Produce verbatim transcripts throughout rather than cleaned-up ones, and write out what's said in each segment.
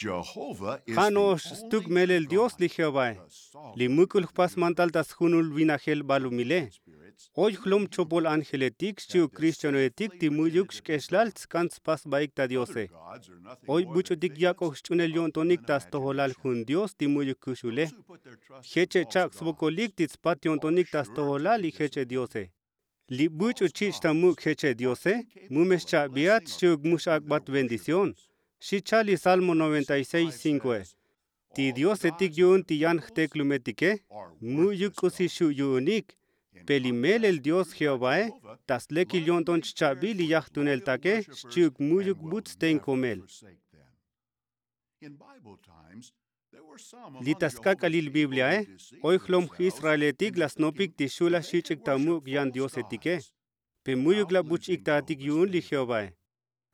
Ja' no'ox stuk melel dios li jehovae. Li muk'ul jpas mantal ta sjunul vinajel balumile. Oy jlom chopol ángeletik xchi'uk kristianoetik ti mu'yuk xk'exlal tsk'an tspas sbaik ta diose. Oy buch'utik yak'oj xch'unel yo'ntonik ta stojolal jun dios ti mu'yuk kuxule. Jeche' chak' svokolik ti tspat yo'ntonik ta stojolal li jeche' diose. Li buch'u chich' ta muk' jeche' diose, mu me xcha'biat xchi'uk mu x'ak'bat bendición. Xi chal li salmo noventa y seis cinkoe. Ti diosetik yu'un ti yan jteklumetike, mu'yuk k'usi xu' yu'unik. Pe li melel dios jehovae, ta slekil yo'nton chcha'bil li yajtuneltake xchi'uk mu'yuk but sten komel. Li ta sk'ak'alil bibliae, oy jlom j-israeletik la snopik ti xu' la xich'ik ta muk' yan diosetike. Pe mu'yuk la buch' iktaatik yu'un li jehovae.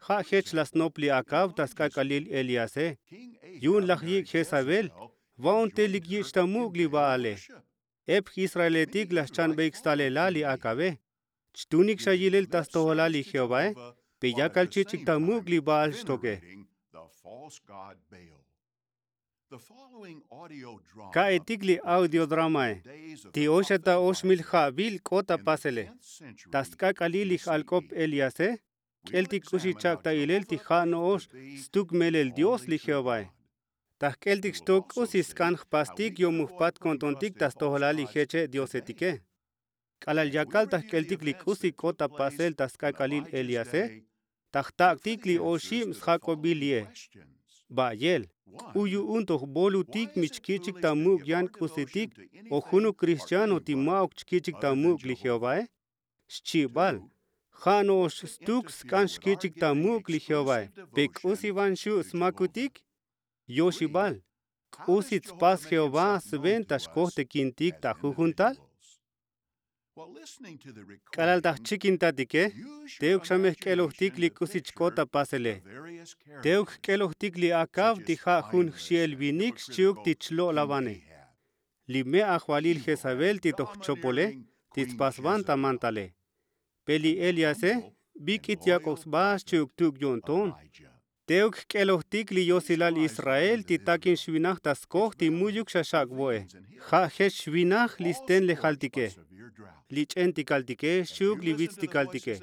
Ja' jech la snop li akav ta sk'ak'alil eliase. Yu'un laj yik' jezabel, va'un te lik yich' ta muk' li baale. Ep j-israeletik la xchanbeik stalelal li akave. Chtunik xa yilel ta stojolal li jehovae, pe yakal chich'ik ta muk' li baal xtoke. Ka'etik li audiodramae. Ti oy xa ta oxmil ja'vil k'ot ta pasele. Ta sk'ak'alil li j-alk'op eliase, k'eltik k'usi chak' ta ilel ti ja' no'ox stuk melel dios li jehovae. Ta jk'eltik xtok k'usi sk'an jpastik yo'muk jpat ko'ntontik ta stojolal li jeche' diosetike. K'alal yakal ta jk'eltik li k'usi k'ot ta pasel ta sk'ak'alil eliase, ta jtak'tik li oxib sjak'obil li'e. Ba'yel, k'u yu'un toj bolutik mi chkich'ik ta muk' yan k'usitik o junuk kristiano ti ma'uk chkich'ik ta muk' li jehovae? Xchibal, ja' no'ox stuk sk'an xkich'ik ta muk' li jehovae. Pe k'usi van xu' smakutik? Yoxibal, k'usi tspas jehová sventa xkojtekintik ta jujun tal? K'alal ta jchikintatike, teuk xa me jk'elojtik li k'usi chk'ot ta pasele. Teuk jk'elojtik li akav ti ja' jun jxi'el vinik xchi'uk ti chlo'lavane. Li me' ajvalil jezabel ti toj jchopole ti tspasvan ta mantale. Pe li eliase, bik'it yak'oj sba xchi'uk tuk yo'nton? Teuk jk'elojtik li yosilal israel ti takin xvinaj ta skoj ti mu'yuk xa xak' vo'e. Ja' jech xvinaj li stenlejaltike, li ch'entikaltike xchi'uk li vitstikaltike.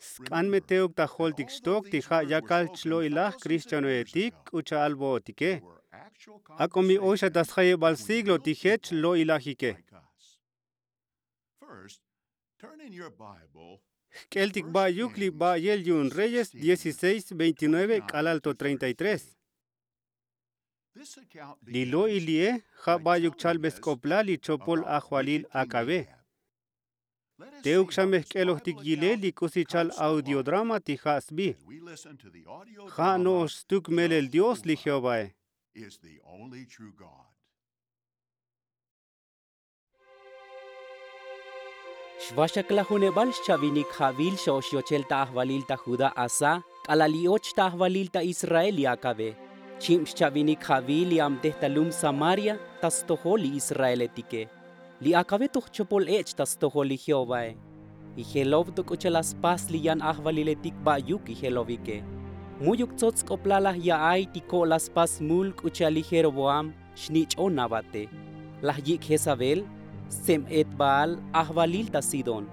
Sk'an me teuk ta joltik xtok ti ja' yakal chlo'ilaj kristianoetik k'u cha'al vo'otike. Ak'o mi oy xa ta sjayebal siglo ti jech lo'ilajike. Jk'eltik ba'yuk li ba'yel yu'un reyes dieciséis veintinueve k'alal to treinta y tres. Li lo'il li'e, ja' ba'yuk chalbe sk'oplal li chopol ajvalil akave. Teuk xa me jk'elojtik yilel li k'usi chal audiodrama ti ja' sbi. Ja' no'ox stuk melel dios li jehovae. Xvaxaklajunebal xchavinik ja'vil xa ox yochel ta ajvalil ta judá asá, k'alal i'och ta ajvalil ta israel li akave. Chib xchavinik ja'vil li abtej ta lum samaria ta stojol li israeletike. Li akave toj chopol ech' ta stojol li jehovae. Ijelov to k'u cha'al la spas li yan ajvaliletik ba'yuk ijelovike. Mu'yuk tsots sk'oplal laj ya'ay ti ko' la spas mul k'u cha'al li jeroboam xnich'on avate. Laj yik' jezabel, stseb et baal ajvalil ta sidón.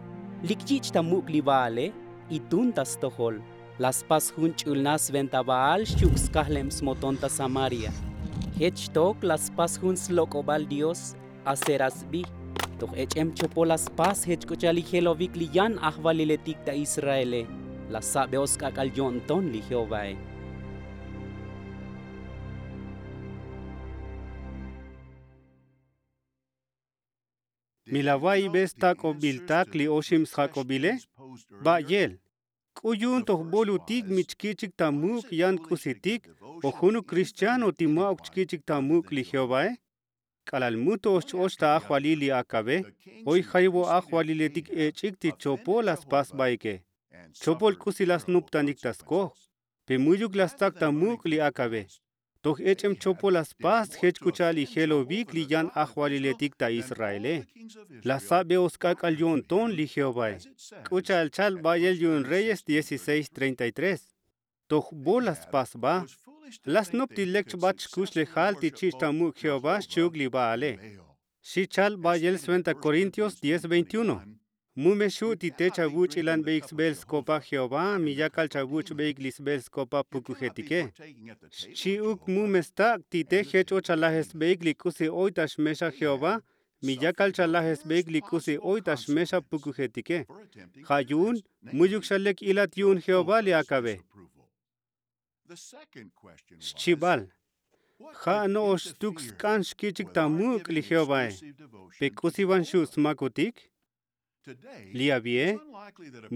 Lik yich' ta muk' li baale, itun ta stojol. La spas jun ch'ulnaj sventa baal xchi'uk skajleb smoton ta samaria. Jech xtok la spas jun slok'obal dios, asera sbi. Toj ech'em chopol la spas jech k'u cha'al ijelovik li yan ajvaliletik ta israele. La sabeos k'ak'al yo'nton li jehovae. Mi la va'ibe stak'obiltak li oxib sjak'obile? Ba'yel, k'u yu'un toj bolutik mi chkich'ik ta muk' yan k'usitik o junuk kristiano ti ma'uk chkich'ik ta muk' li jehovae? K'alal mu to ox ch-och ta ajvalil li akave, oy jayvo ajvaliletik ech'ik ti chopol la spas sbaike. Chopol k'usi la snuptanik ta skoj. Pe mu'yuk la stsak ta muk' li akave. Toj ech'em chopol la spas jech k'u cha'al ijelovik li yan ajvaliletik ta israele. La sabeos k'ak'al yo'nton li jehovae. K'u cha'al chal ba'yel yu'un reyes dieciséis treinta y tres. Toj bo la spas sba. La snop ti lek chbat xkuxlejal ti chich' ta muk' jehová xchi'uk li ba'ale. Xi chal ba'yel sventa korintios diez veintiuno. Mu me xu' ti te chavuch'ilanbeik sbel skopa jehová mi yakal chavuch'beik li sbel skopa pukujetike. Xchi'uk mu me stak' ti te jech o chalajesbeik li k'usi oy ta xmexa jehová mi yakal chalajesbeik li k'usi oy ta xmexa pukujetike. Ja' yu'un mu'yuk xa lek ilat yu'un jehová li akabe. Xchibal. Ja' no'ox stuk sk'an xkich'ik ta muk' li jehovae. Pe k'usi van xu' smakutik? Li avi'e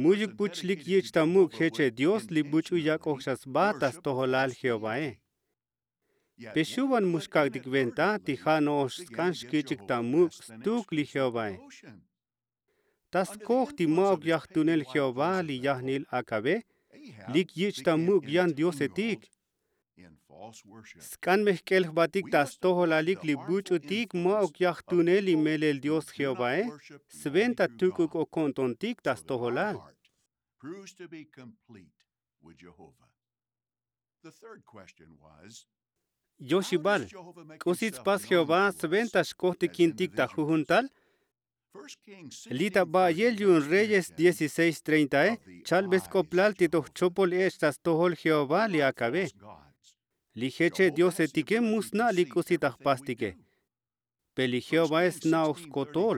mu'yuk buch lik yich' ta muk' jeche' dios li buch'u yak'oj xa sba ta stojolal jehovae. Pe xu' van mu xkak'tik venta ti ja' no'ox sk'an xkich'ik ta muk' stuk li jehovae. Ta skoj ti ma'uk yajtunel jehová li yajnil akabe lik yich' ta muk' yan diosetik. Sk'an me jk'el jbatik ta stojolalik li buch'utik ma'uk yajtunel li melel dios jehovae sventa tuk'uk o ko'ntontik ta stojolal. Yoxibal. K'usi tspas jehová sventa xkojtikintik ta jujun tal? Li' ta ba'yel yu'un reyes dieciséis treintae chalbe sk'oplal ti toj chopol ech' ta stojol jehová li akabe. Li jeche' diosetike mu sna' li k'usi ta jpastike. Pe li jehovae sna'oj skotol.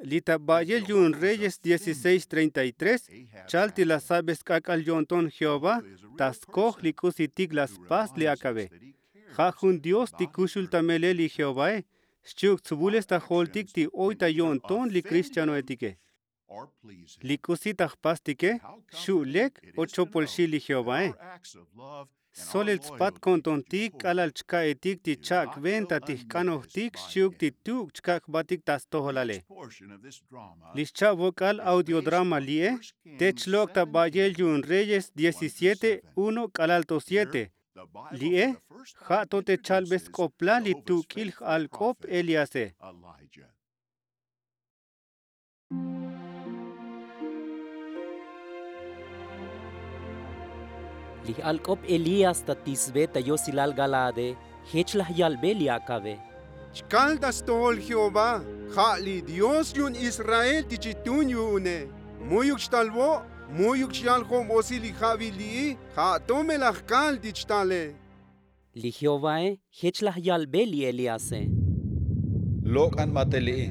Li' ta ba'yel yu'un reyes dieciséis treinta y tres chal ti la sabe sk'ak'al yo'nton jehová ta skoj li k'usitik la spas li akabe. Ja' jun dios ti kuxul ta melel li jehovae xchi'uk tsvules ta joltik ti oy ta yo'nton li kristianoetike. Li k'usi ta jpastike xu' lek o chopol xi' li jehovae. Solel tspat ko'ntontik k'alal chka'etik ti chak' venta ti jk'anojtik xchi'uk ti tuk' chkak' jbatik ta stojolale. Li xcha'vok'al audiodrama li'e te chlok' ta ba'yel yu'un reyes diecisiete uno k'alal to siete. Li'e ja' to te chalbe sk'oplal li tuk'il j'alk'op eliase. Li j'alk'op elías ta tisbe ta yosilal galaade jech laj yalbe li akabe. Chkal ta stojol jehová ja' li dios yu'un israel ti chitun yu'une. Mu'yuk xtal vo'. Mu'yuk xyal jo'bosi li ja'bil li'i. Ja' to me laj kal ti chtale. Li jehovae jech laj yalbe li eliase. Lok'an batel li'i.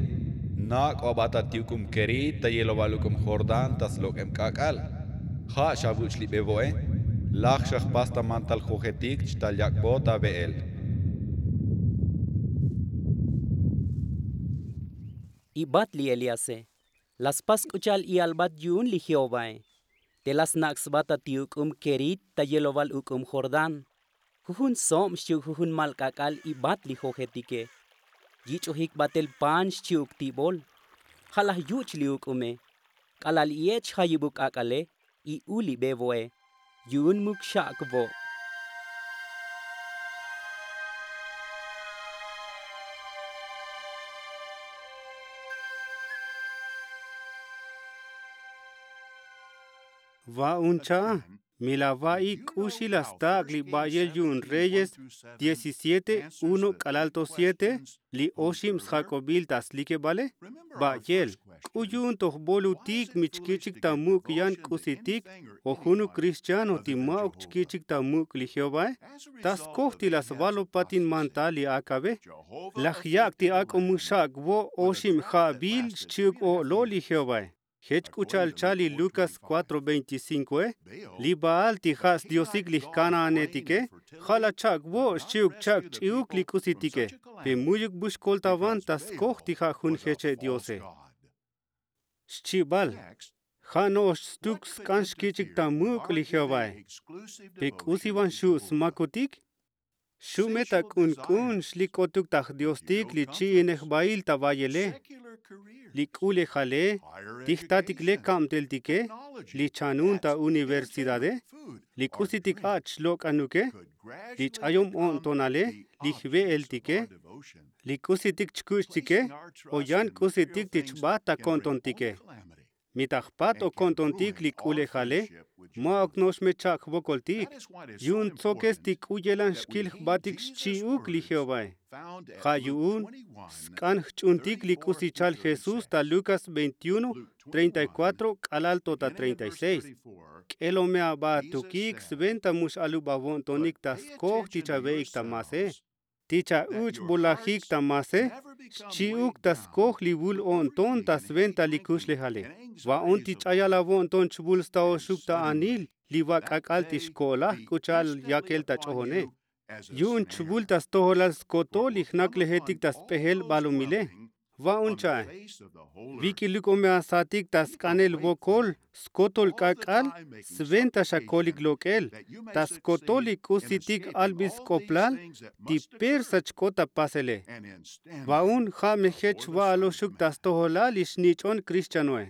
Nak'o aba ta ti uk'um kerit ta yeloval uk'um jordán ta slok'eb k'ak'al. Ja' xavuch' li bevo'e. Laj xa jpas ta mantal jojetik chtal yak'bo ta ve'el. Ibat li eliase. La spas k'u cha'al i'albat yu'un li jehovae. Te la snak' sba ta ti uk'um kerit ta yeloval uk'um jordán. Jujun sob xchi'uk jujun mal k'ak'al ibat li jojetike. Yich'ojik batel pan xchi'uk tibol. Ja' laj yuch' li uk'ume. K'alal i'ech' jayibuk k'ak'ale i'u li bevo'e. Yu'un muk xak' vo'. Va'un cha'a. Mi la va'i k'uxi la stak' li ba'yel yu'un reyes diecisiete uno k'alal to siete. Li oxib sjak'obil ta slikebale. Ba'yel k'u yu'un toj bolutik mi chkich'ik ta muk' yan k'usitik o junuk kristiano ti ma'uk chkich'ik ta muk' li jehovae. Ta skoj ti la svalopatin mantal li akabe. Laj yak' ti ak'o mu xak' vo' oxib ja'bil xchi'uk o'lol li jehovae. Jech k'u cha'al chal li lukas cuatro veinticinkoe. Li baal ti ja' sdiosik li jkanaanetike ja' la chak' vo' xchi'uk chak' ch'i'uk li k'usitike. Pe mu'yuk bu xkoltavan ta skoj ti ja' jun jeche' diose. Xchibal. Ja' no'ox stuk sk'an xkich'ik ta muk' li jehovae. Pe k'usi van xu' smakutik? Xu' me ta k'unk'un xlik k'otuk ta jdiostik li chi'inej bail ta vayele. Li k'ulejale ti jtatik le kabteltike, li chanun ta universidade, li k'usitik ach' xlok'anuke, li ch'ayom o'ntonale, li jve'eltike, li k'usitik chkuch'tike, o yan k'usitik ti chbat ta ko'ntontike. Mi ta jpat o ko'ntontik li k'ulejale, Ma'uk no'ox me cha'ak jvokoltik. Yu'un tsokes ti k'u yelan xkil jbatik xchi'uk li jehovae. Ja' yu'un sk'an jch'untik li k'usi chal jesús ta lukas veintiuno treinta y kuatro k'alal to ta treinta y seis. K'elo me aba atukik sventa mu x'alub avo'ntonik ta skoj ti chave'ik ta mase. Ti cha'uch' bolajik ta mase xchi'uk ta skoj li vul o'nton ta sventa li kuxlejale. Va'un ti ch'ayal avo'nton chvul staoxuk ta anil li va k'ak'al ti xko'laj k'u cha'al yakel ta ch'ojone. Yu'un chvul ta stojolal skotol li jnaklejetik ta sp'ejel balumile. Va'un cha'e. Vik'iluk o me asatik ta sk'anel vokol skotol k'ak'al sventa xakolik lok'el ta skotol li k'usitik albil sk'oplal ti persa chk'ot ta pasele. Va'un ja' me jech va'aloxuk ta stojolal li xnich'on kristianoe.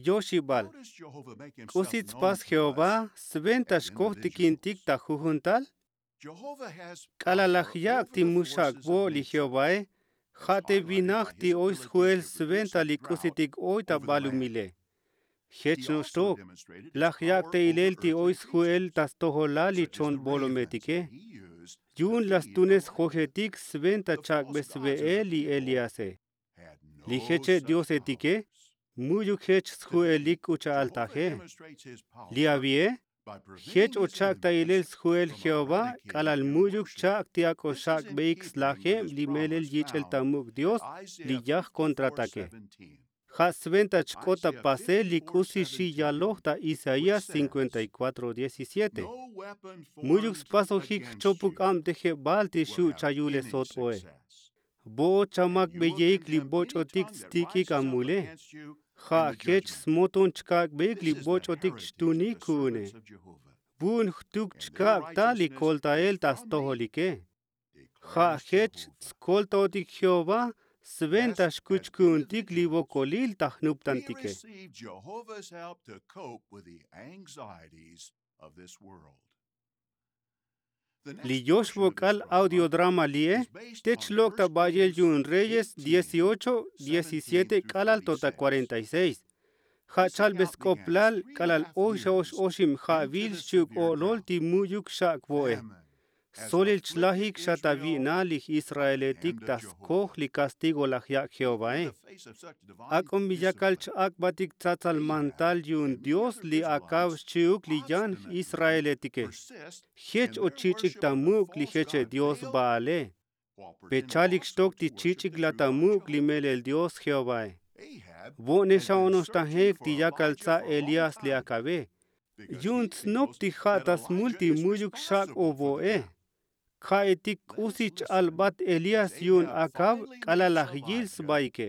Yoxibal, k'usi tspas jehová sventa xkoj tikintik ta jujun tal? K'alal laj yak' ti mu xak' vo' li jehovae. Ja' te vinaj ti oy sju'el sventa li k'usitik oy ta balumile. Jech no'ox tok laj yak' ta ilel ti oy sju'el ta stojolal li chon bolometike. Yu'un laj stunes jojetik sventa chak'be sve'el li eliase. Li jeche' diosetike mu'yuk jech sju'elik k'u cha'al taje. Li avie jech o chak' ta ilel sju'el jehová k'alal mu'yuk chak' ti ak'o xak'beik slajeb li melel yich'el ta muk' dios li yaj kontratake. Ja' sventa chk'ot ta pasel li k'usi xi yaloj ta isaías cincuenta y cuatro diecisiete. Mu'yuk spasojik jchopuk abtejebal ti xu' chayule sot'oe. Vo'ot chamakbeyeik li boch'otik tstik'ik amule. Ja' jech smoton chkak'beik li boch'otik chtunik ku'une. Vu'un jtuk chkak' ta li koltael ta stojolike. Ja' jech tskoltaotik jehová sventa xkuch ku'untik li vokolil ta jnuptantike. Li yoxvok'al audiodrama li'e te chlok' ta ba'yel yu'un reyes dieciocho diecisiete k'alal to ta kuarenta y seis. Ja' chalbe sk'oplal k'alal oy xa ox oxib ja'vil xchi'uk o'lol ti mu'yuk xak' vo'e. Solil chlajik xa ta vi'nal li j'israeletik ta skoj li kastigo laj yak' jehovae. Ak'o mi yakal ch-ak'batik tsatsal mantal yu'un dios li akav xchi'uk li yan j'israeletike. Jech o chich'ik ta muk' li jeche' dios baale. Pe chalik xtok ti chich'ik laj ta muk' li melel dios jehovae. Vo'ne xa ono'ox tajek ti yakal tsa' elías li akave. Yu'un tsnop ti ja' ta smul ti mu'yuk xak' o vo'e. Ka'etik k'usi ch-albat elías yu'un akav k'alal laj yil sbaike.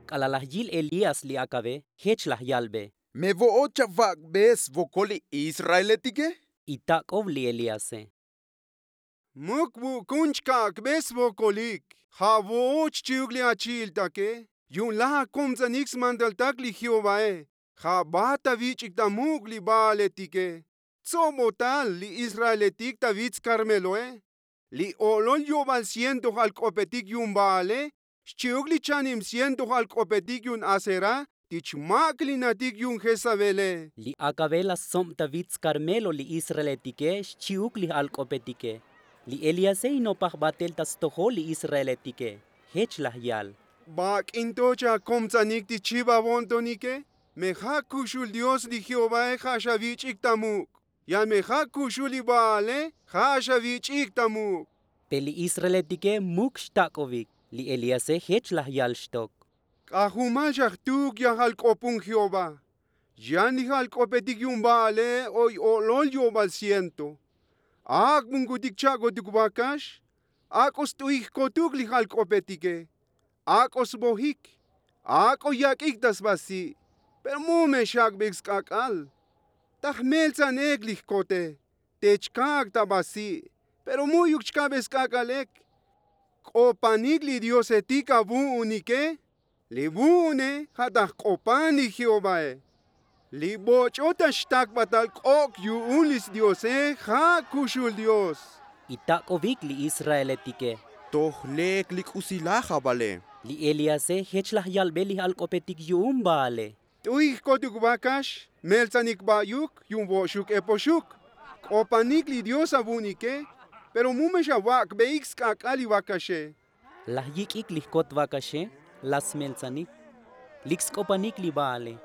K'alal laj yil elías li akave jech laj yalbe. Me vo'ot chavak'be svokol li israeletike? Itak'ov li elíase. Muk vukun chkak'be svokolik. Ja' vo'ot xchi'uk li achi'iltake. Yu'un laj akomtsanik smantaltak li jehovae. Ja' bat ta vich'ik ta muk' li baaletike. Tsobotal li israeletik ta vits karmeloe. Li o'lol yo'bal ciento j'alk'opetik yu'un baale xchi'uk li chanib ciento j'alk'opetik yu'un asera ti chmaklinatik yu'un jezabele. Li akave laj stsob ta vits karmelo li israeletike xchi'uk li j'alk'opetike. Li eliase inopaj batel ta stojol li israeletike. Jech laj yal. Bak'in to chakomtsanik ti chib avo'ntonike? Me ja' kuxul dios li jehovae ja' xavich'ik ta muk'. Yan me ja' kuxul li baale ja' xavich'ik ta muk'. Pe li israeletike muk xtak'ovik. Li eliase jech laj yal xtok. K'ajumal xa jtuk yajal k'opun jehová. Yan li j'alk'opetik yu'un baale oy o'lol yo'bal ciento. Ak'bunkutik cha'kotuk vakax. Ak'o st'u'ik jkotuk li j'alk'opetike. Ak'o svojik. Ak'o yak'ik ta svasi'. Pero mu me xak'beik sk'ak'al. Ta jmeltsan ek li jkote. Te chkak' ta vasi'. Pero mu'yuk chka'be sk'ak'al ek. K'opanik li diosetik avu'unike. Li vu'une ja' ta jk'opan li jehovae. Li boch'o ta xtakbatal k'ok' yu'un li sdiose ja' kuxul dios. Itak'ovik li israeletike. Toj lek li k'usilaj avale. Li eliase jech laj yalbe li j'alk'opetik yu'un baale. T'uy jkotuk vakax, meltsanik ba'yuk yu'un vo'xuk epoxuk. K'opanik li dios avu'nike. Pero mu me xavak'beik sk'ak'al li vakaxe. Laj yik'ik li jkot vakaxe. La smeltsanik. Lik sk'opanik li baale.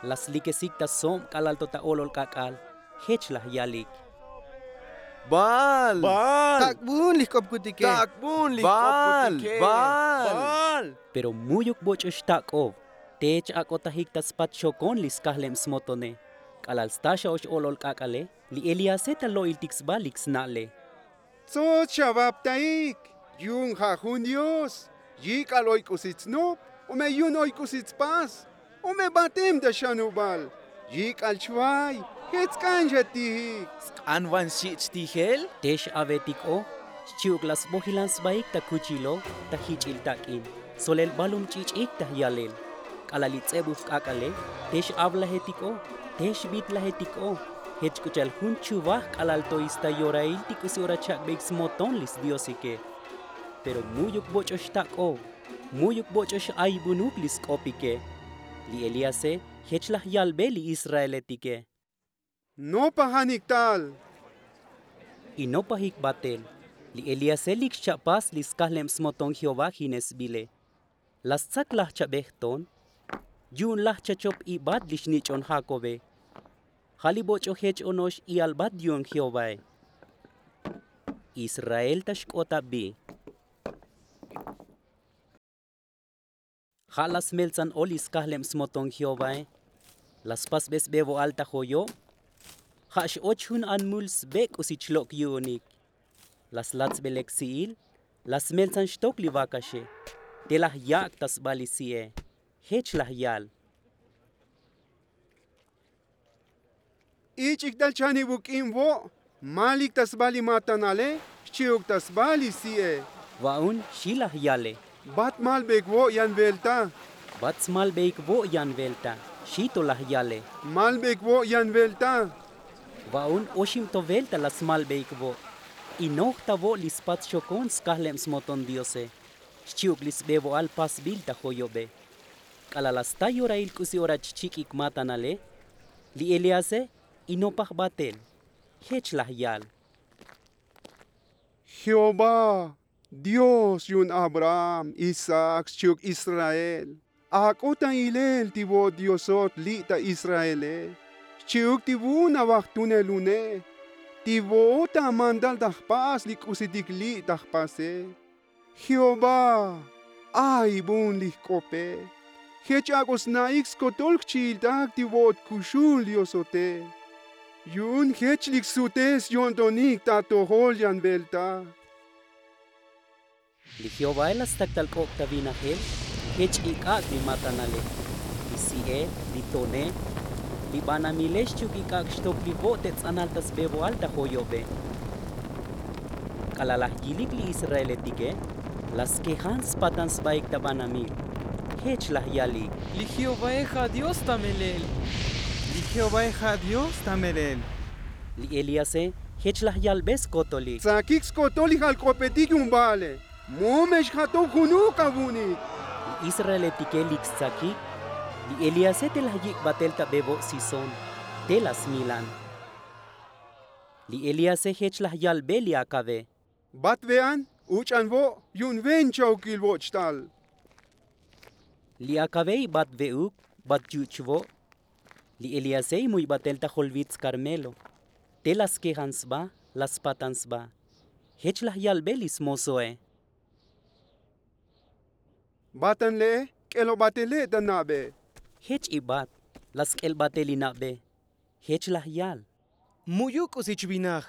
La slikesik ta sob k'alal to ta olol k'ak'al. Jech laj yalik. Baal. Tak'bun li jk'opkutike. Tak'bun li jk'opkutike. Baal. Pero mu'yuk boch'o xtak'ov. Te ch'ak'otajik ta spat xokon li skajleb smotone. K'alal sta xa'ox olol k'ak'ale. Li eliase ta lo'iltik sba lik sna'le. Tsots xavaptaik. Yu'un ja' jun dios. Yik'al oy k'usi tsnop. O me yu'un oy k'usi tspas. O me batem ta xanubal. Yik'al chvay. Jech tsk'an xatijik. Sk'an van xich' tijel. Te x'avetik o. Xchi'uk la sbojilan sbaik ta kuchilo. Ta jich'il tak'in. Solel balum ch'ich'ik ta jyalel. K'alal li ts'ebuj k'ak'ale. Te x'avlajetik o. Te xbitlajetik o. Jech k'u cha'al jun chuvaj k'alal to ista yorail ti k'usi ora chak'beik smoton li sdiosike. Pero mu'yuk boch'o xtak'ov. Mu'yuk boch'o x'aybunuk li sk'opike. Li eliase jech laj yalbe li israeletike. Nopajanik tal. Inopajik batel. Li eliase lik xcha'pas li skajleb smoton jehová jine sbile. La stsak laj chabej ton. Yu'un laj chachop ibat li xnich'on jakobe. Ja' li boch'o jech ono'ox i'albat yu'un jehovae. Israel ta xk'ot abi. Ja' la smeltsan o li skajleb smoton jehovae. La spasbe sbe vo'al ta joyob. Ja' x'och jun anmul sbe k'usi chlok' yu'unik. La slat sbe lek si'il. La smeltsan xtok li vakaxe. Te laj yak' ta sba li si'e. Jech laj yal. Ich'ik tal chanibuk k'ib vo'. Malik ta sba li matanale. Xchi'uk ta sba li si'e. Va'un xi laj yale. Bat malbeik vo' yan velta. Bat smalbeik vo' yan velta. Xi to laj yale. Malbeik vo' yan velta. Va'un oxib to velta la smalbeik vo'. Inoj ta vo' li spat xokon skajleb smoton diose. Xchi'uk li sbe vo'al pasbil ta joyobe. K'alal la sta yorail k'usi ora chchik'ik matanale. Li eliase inopaj batel. Jech laj yal. Jehová, dios yu'un abraham, isaac xchi'uk israel. Ak'o ta ilel ti vo'ot diosot li' ta israele. Xchi'uk ti vu'un avajtunelune. Ti vo'ot ta amantal ta jpas li k'usitik li' ta jpase. Jehová, aybun li jk'ope. Jech ak'o sna'ik skotol jchi'iltak ti vo'ot kuxul diosote. Yu'un jech lik sute syo'ntonik ta atojol yan velta. Li jehovae la stak tal k'ok' ta vinajel. Jech ik'ak' li matanale, li si'e, li tone. Li banamile xchi'uk ik'ak' xtok li vo' te ts'anal ta sbe vo'al ta joyobe. K'alal laj yilik li israeletike. La skejan spatan sbaik ta banamil. Jech laj yalik. Li jehovae ja' dios ta melel. Li jehovae ja' dios ta melel. Li eliase jech laj yalbe skotolik. Tsakik skotol li jalk'opetik yu'un baale. Mu me xjatoj junuk avu'nik. Li israeletike lik stsakik. Li eliase te laj yik' batel ta be vo' sison. Te la smilan. Li eliase jech laj yalbe li akave. Bat ve'an. Uch'an vo' yu'un ven chaukil voch' tal. Li akave ibat ve'uk bat yuch' vo'. Li eliase imuy batel ta jolvits karmelo. Te la skejan sba. La spatan sba. Jech laj yalbe li smosoe. Batan le'e. K'elo batele ta na'be. Jech ibat. La sk'el batel li na'be. Jech laj yal. Mu'yuk k'usi chvinaj.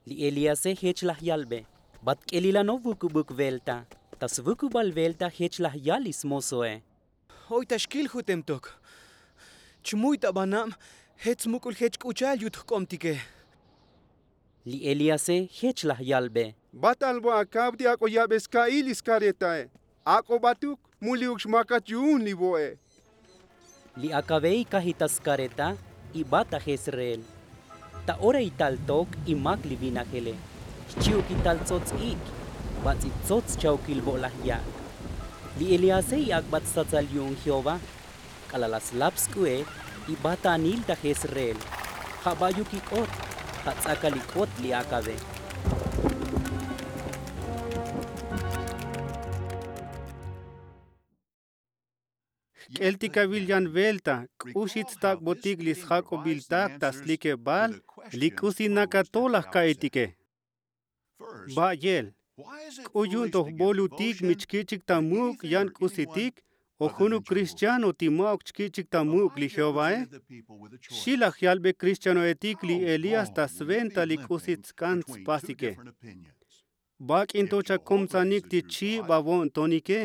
Li eliase jech laj yalbe. Bat k'elilano vukubuk velta. Ta svukubal velta jech laj yal li smosoe. Oy ta xkil jutem tok. Chmuy ta banab. Jech smuk'ul jech k'u cha'al yut jk'obtike. Li eliase jech laj yalbe. Bat albo akav ti ak'o yabe ska'il li skaretae. Ak'o batuk. Mu li'uk xmakat yu'un li vo'e. Li akave ikajita skareta ibat ta jezreel. Ta ora ital tok imak li vinajele, xchi'uk ital tsots ik'. Bats'i tsots chaukil vo' laj yak'. Li eliase iak'bat statsal yu'un jehová. K'alal la slap sk'u'e ibat ta anil ta jezreel. Ja' ba'yuk ik'ot. Ja' ts'akal ik'ot li akave. Jk'eltik avil yan velta k'uxi tstak'botik li sjak'obil tak ta slikebal li k'usi nakato laj ka'itike. Ba'yel, k'u yu'un toj bolutik mi chkich'ik ta muk' yan k'usitik o junuk kristiano ti ma'uk chkich'ik ta muk' li jehovae? Xi laj yalbe kristianoetik li elías ta sventa li k'usi tsk'an tspasike. Bak'in to chakomtsanik ti chib avo'ntonike.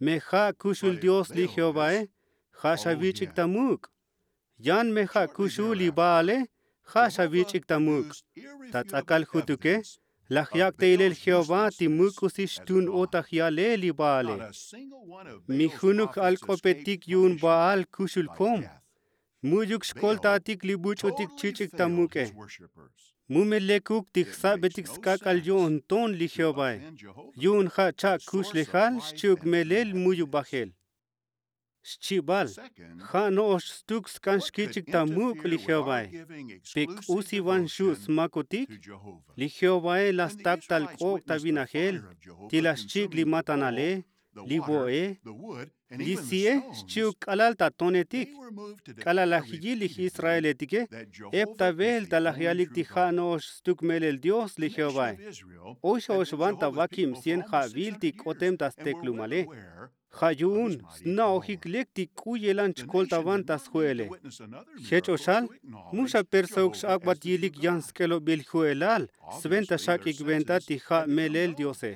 Me ja' kuxul dios li jehovae. Ja' xavich'ik ta muk'. Yan me ja' kuxul li baale. Ja' xavich'ik ta muk'. Ta ts'akal jutuke laj yak' ta ilel jehová ti muk'usi xtun o ta jyale li baale. Mi junuk j'alk'opetik yu'un baal kuxul kom. Mu'yuk xkoltatik li buch'utik chich'ik ta muk'e. Mu me lekuk ti jsa'betik sk'ak'al yo'nton li jehovae. Yu'un ja' cha'kuxlejal xchi'uk melel muyu bajel. Xchibal, ja' no'ox stuk sk'an xkich'ik ta muk' li jehovae. Pe k'usi van xu' smakotik? Li jehovae la stak tal k'ok' ta vinajel ti la xchik' li matanale, li vo'e, li si'e xchi'uk k'alal ta tonetik. K'alal laj yil li j'israeletike ep ta velta laj yalik ti ja' no'ox stuk melel dios li jehovae. Oy xa'ox van ta vakib cien ja'vil ti k'otem ta steklumale. Ja' yu'un sna'ojik lek ti k'u yelan chkoltavan ta sju'ele. Jech o xal, mu xa persauk x'ak'bat yilik yan sk'elobil ju'elal sventa xak'ik venta ti ja' melel diose.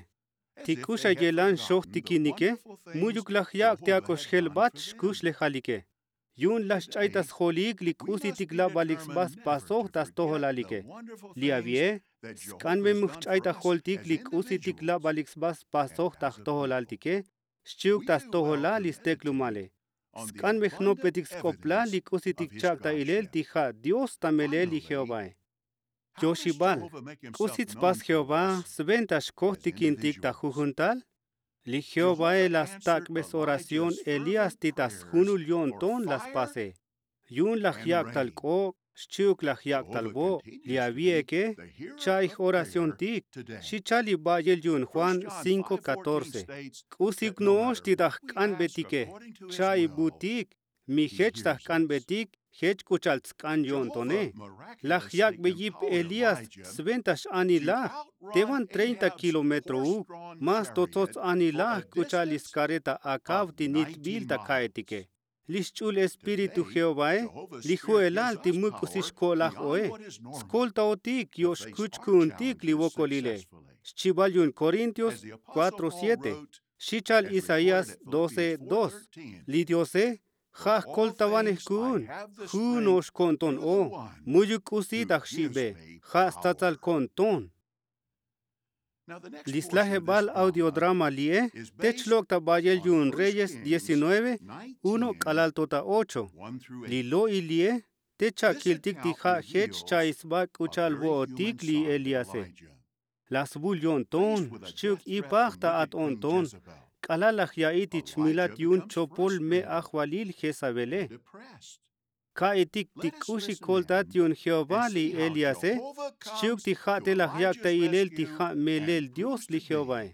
Ti k'u xa yelan xojtikinike, mu'yuk laj yak' ti ak'o xjelbat xkuxlejalike. Yu'un laj xch'ay ta sjolik li k'usitik labalik sba spasoj ta stojolalike. Li avi'e, sk'an me mu jch'ay ta joltik li k'usitik labalik sba spasoj ta jtojolaltike xchi'uk ta stojolal li steklumale. Sk'an me jnopbetik sk'oplal li k'usitik chak' ta ilel ti ja' dios ta melel li jehovae. Yoxibal, k'usi tspas jehová sventa xkojtikintik ta jujun tal? Li jehovae la stak'be soración elías ti ta sjunul yo'nton la spase. Yu'un laj yak' tal k'ok', xchi'uk laj yak' tal vo'. Li avi'eke, cha'i j'oraciontik. Xi chal li ba'yel yu'un juan cinko catorce. K'usiuk no'ox ti ta jk'anbetike. Cha'i butik. Mi jech ta jk'anbetik jech k'u cha'al tsk'an yo'ntone. Laj yak'be yip elías sventa x'anilaj. Te van treinta kilometrouk, más to tsots anilaj k'u cha'al li skareta akav ti nitbil ta ka'etike. Li xch'ul espíritu jehovae, li ju'elal ti muk'usi xko'laj oe, skoltaotik yo' xkuch ku'untik li vokolile. Xchibal yu'un korintios kuatro siete. Xi cha'al isaías doce dos. Li diose ja' jkoltavanej ku'un. Ju' no'ox ko'nton o. Mu'yuk k'usi ta jxi'be. Ja' statsal ko'nton. Li slajebal audiodrama li'e te chlok' ta ba'yel yu'un reyes diecinueve, uno k'alal to ta ocho. Li lo'il li'e te cha'kiltik ti ja' jech cha'i sba k'u cha'al vo'otik li elíase. La svul yo'nton xchi'uk ipaj ta at o'nton. K'alal laj ya'i ti chmilat yu'un chopol me' ajvalil jezabele. Ka'itik ti k'uxi koltat yu'un jehová li elíase xchi'uk ti ja' te laj yak' ta ilel ti ja' melel dios li jehovae.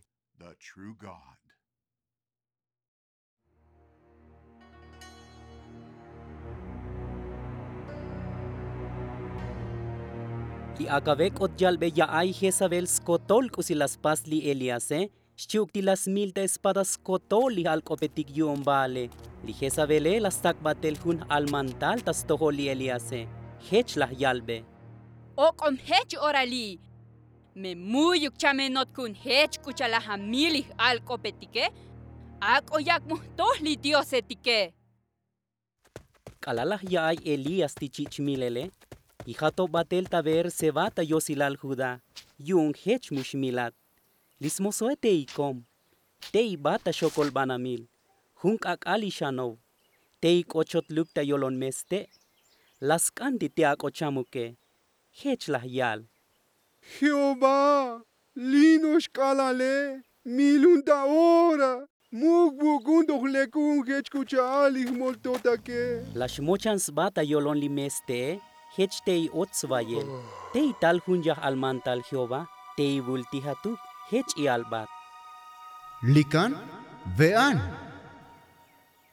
Li akave k'ot yalbe ya'ay jezabel skotol k'usi la spas li elíase. Xchi'uk ti la smil ta espada skotol li j'alk'opetik yu'un baale. Li jezabele la stak' batel jun j'almantal ta stojol li elíase. Jech laj yalbe. Ok'om jech ora li'. Me mu'yuk chamenot ku'un jech k'u cha'al laj amil li j'alk'opetike. Ak'o yak' mu jtoj li diosetike. K'alal laj ya'ay elías ti chich' milele, ijatoj batel ta beerseba ta yosilal judá. Yu'un jech mu xmilat. Li smosoe te ikom, te ibat ta xokol banamil. Jun k'ak'al ixanov. Tey k'o chotluk ta yolon meste'. La sk'an ti ti ak'o chamuke. Jech laj yal. Jeová, li' no'ox k'alale, milun ta ora. Muk vuk'un toj lekun jech k'u cha'al li jmoltotake. La xmochan sba ta yolon li meste'e. Jech tey och svayel. Tey tal jun yaj almantal jeová. Tey vul tijatuk. Jech i'albat. Likan ve'an.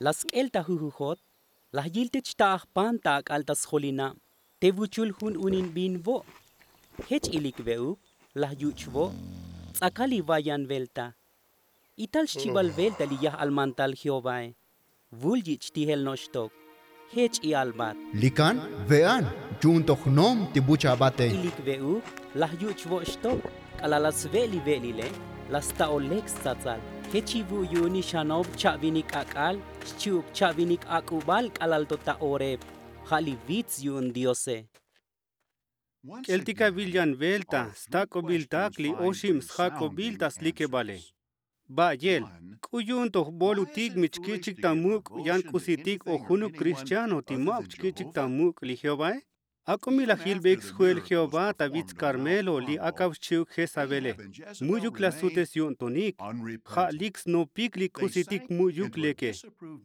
La sk'el ta jujujot. Laj yil te chta'aj pan ta ak'al ta sjolinab. Te vuchul jun unin bin vo'. Jech ilik ve'uk. Laj yuch' vo'. Ts'akal li vayan velta. Ital xchibal velta li yaj almantal jeovae. Vul yich' tijel no'ox tok. Jech i'albat. Likan ve'an. Yu'un toj nom ti buch' abate. Ilik ve'uk. Laj yuch' vo' xtok. K'alal la sve' li ve'lile. La sta'o lek stsatsal. Jechi vu' yu'un nix xanob cha'vinik ak'al. Xchi'uk cha'vinik ak'ubal k'alal to ta oreb. Ja' li vits yu'un diose. K'eltik avil yan velta stak'obil tak li oxib sjak'obil ta slikebale. Ba'yel, k'u yu'un toj bolutik mi chkich'ik ta muk' yan k'usitik o junuk kristiano ti ma'uk chkich'ik ta muk' li jeovae? Ak'o mi laj yilbeik sju'el jeová ta vits karmelo li akav xchi'uk jezabele. Mu'yuk la sutes yo'ntonik. Ja' lik snopik li k'usitik mu'yuk leke.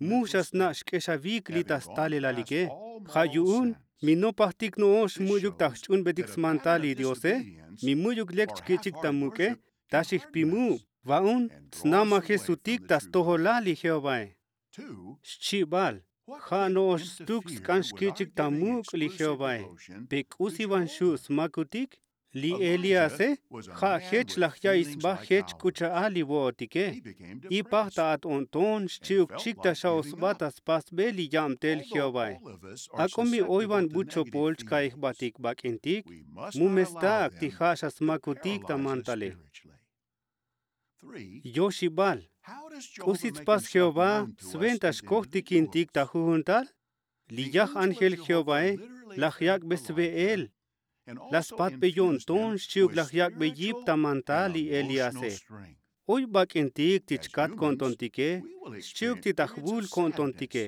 Mu xa sna' xk'exavik li ta stalelalike. Ja' yu'un mi nopajtik no'ox mu'yuk ta jch'unbetik smantal li diose. Mi mu'yuk lek chkich'ik ta muk'e. Ta xijpimu'. Va'un tsnamajesutik ta stojolal li jeovae. Xchibal, ja' no'ox stuk sk'an xkich'ik ta muk' li jeovae. Pe k'usi van xu' smakutik? Li elíase ja' jech laj ya'iy sba jech k'u cha'al li vo'otike. Ipaj ta at o'nton xchi'uk chik ta xa'o sba ta spasbel li yabtel jeovae. Ak'o mi oy van bu chopol chka'i jbatik bak'intik. Mu me stak' ti ja' xa smakutik ta mantale. Yoxibal, k'usi tspas jeová sventa xkojtikintik ta jujuntal? Li yaj ángel jeovae laj yak'be sve'el. La spatbe yo'nton xchi'uk laj yak'be yip ta mantal li elíase. Oy bak'intik ti chkat ko'ntontike. Xchi'uk ti ta jvul ko'ntontike.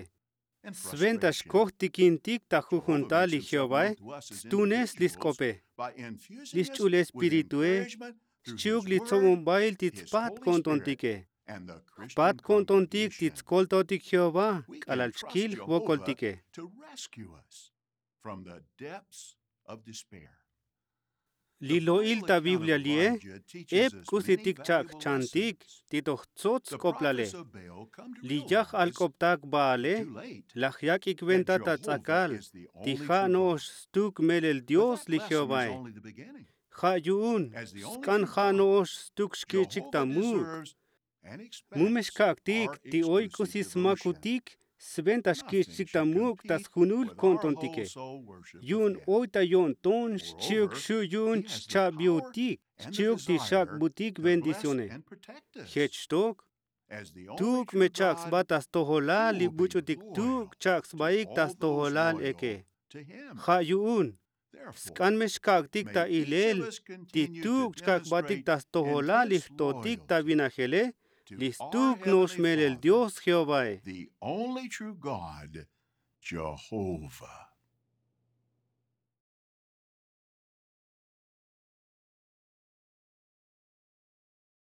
Sventa xkojtikintik ta jujuntal li jeovae. Stunes li sk'ope, li xch'ul espiritue, xchi'uk li tsobonbail ti tspat ko'ntontike. Jpat ko'ntontik ti tskoltotik jeová k'alal chkil jvokoltike. Li lo'il ta biblia li'e ep k'usitik chak' jchantik ti toj tsots sk'oplale. Li yaj alk'optak baale laj yak'ik venta ta ts'akal ti ja' no'ox stuk melel dios li jeovae. Ja' yu'un sk'an ja' no'ox stuk xkich'ik ta muk'. Mu me xkak'tik ti oy k'usi smakutik sventa xkich'ik ta muk' ta sjunul ko'ntontike. Yu'un oy ta yo'nton xchi'uk xu' yu'un chcha'biutik xchi'uk ti xak'butik bendicione. Jech xtok tuk' me chak' sba ta stojolal li buch'utik tuk' chak' sbaik ta stojolal eke. Ja' yu'un sk'an me xkak'tik ta ilel ti tuk' chkak'batik ta stojolal li jtotik ta vinajele li stuk no'ox melel dios jeovae. The only true God, Jehovah.